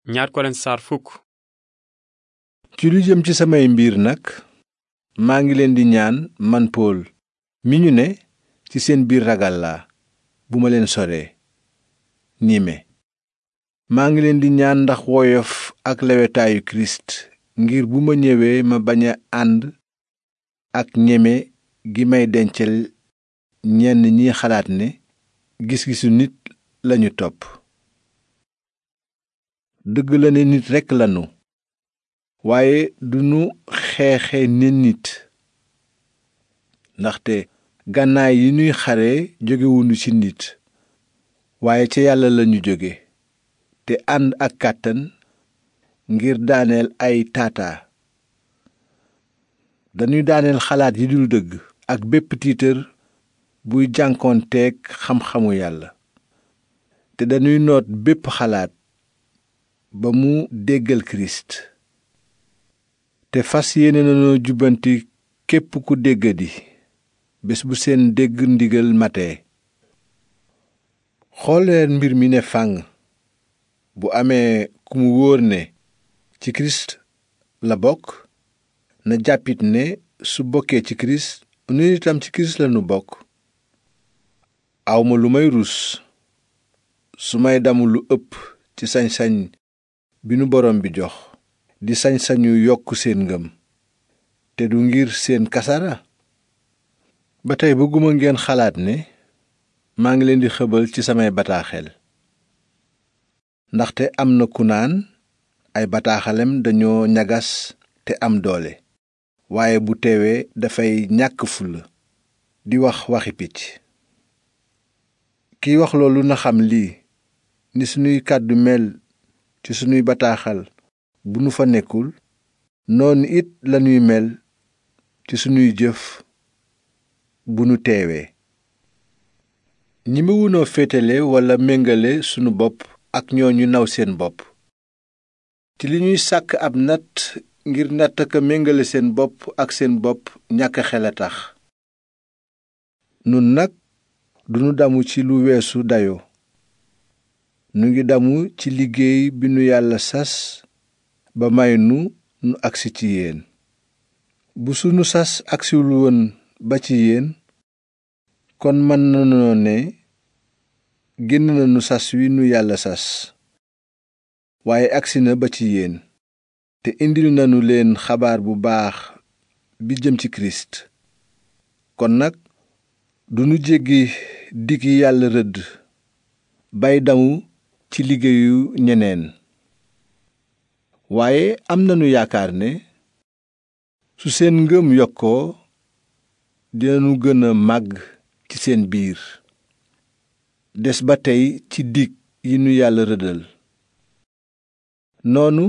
ñaar Korent saar fukk. ci lu jëm ci samay mbir nag maa ngi leen di ñaan man Pool mi ñu ne ci seen biir ragal laa bu ma leen soree niime maa ngi leen di ñaan ndax woyof ak lewetaayu Kirist ngir bu ma ñëwee ma bañ a ànd ak ñeme gi may dencal ñenn ñi xalaat ne gis-gisu nit lañu topp. dëgg la ne nit rekk lanu waaye duñu xeexe ne nit ndaxte gànnaay yi ñuy xare jógewuñu ci nit waaye ca yàlla lañu jóge te ànd ak kàttan ngir daaneel ay taataa dañuy daaneel xalaat yi dul dëgg ak bépp tiitër buy jànkoonteeg xam-xamu yàlla te dañuy noot bépp xalaat ba mu déggal Kirist te fas yéene nañoo jubbanti képp ku déggadi bés bu seen dégg ndigal matee. xoolleen mbir mi ne fànn bu amee ku mu wóor ne ci Kirist la bokk na jàppit ne su bokkee ci Kirist nun itam ci Kirist lanu bokk. awma lu may rus su may damu lu ëpp ci sañ-sañ bi nu borom bi jox di sañ-sañu yokk seen ngëm te du ngir seen kasara. ba tey bëgguma ngeen xalaat ne maa ngi leen di xëbal ci samay bataaxel ndaxte am na ku naan ay bataaxalem dañoo ñagas te am doole waaye bu teewee dafay ñàkk fulla di wax waxi picc. kiy wax loolu na xam lii ni sunuy kàddu mel ci sunuy bataaxal bu nu fa nekkul noonu it lanuy mel ci sunuy jëf bu nu teewee. ñemewunoo féetale walla méngale sunu bopp ak ñooñu naw seen bopp ci li ñuy sàkk ab natt ngir natt ka méngale seen bopp ak seen bopp ñàkk xel a tax. nun nag duñu damu ci lu weesu dayo nu ngi damu ci liggéey bi nu yàlla sas ba may nu agsi ci yéen. bu sunu sas agsiwul woon ba ci yéen kon mën nanoo ne génn nanu sas wi nu yàlla sas waaye agsi na ba ci yéen te indil nanu leen xabaar bu baax bi jëm ci Kirist. kon nag duñu jéggi dig yi yàlla rëdd bay damu ci liggéeyu ñeneen waaye am nanu yaakaar ne su seen ngëm yokkoo dinanu gën a màgg ci seen biir des ba tey ci dig yi nu yàlla rëddal. noonu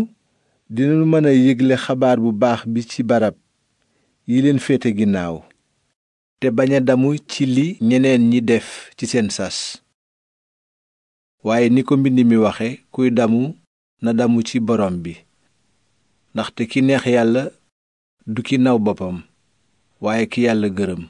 dinanu mën a yégle xabaar bu baax bi ci barab yi leen féete ginnaaw te bañ a damu ci li ñeneen ñi def ci seen sas waaye ni ko mbind mi waxe kuy damu na damu ci borom bi ndaxte ki neex yàlla du ki naw boppam waaye ki yàlla gërëm.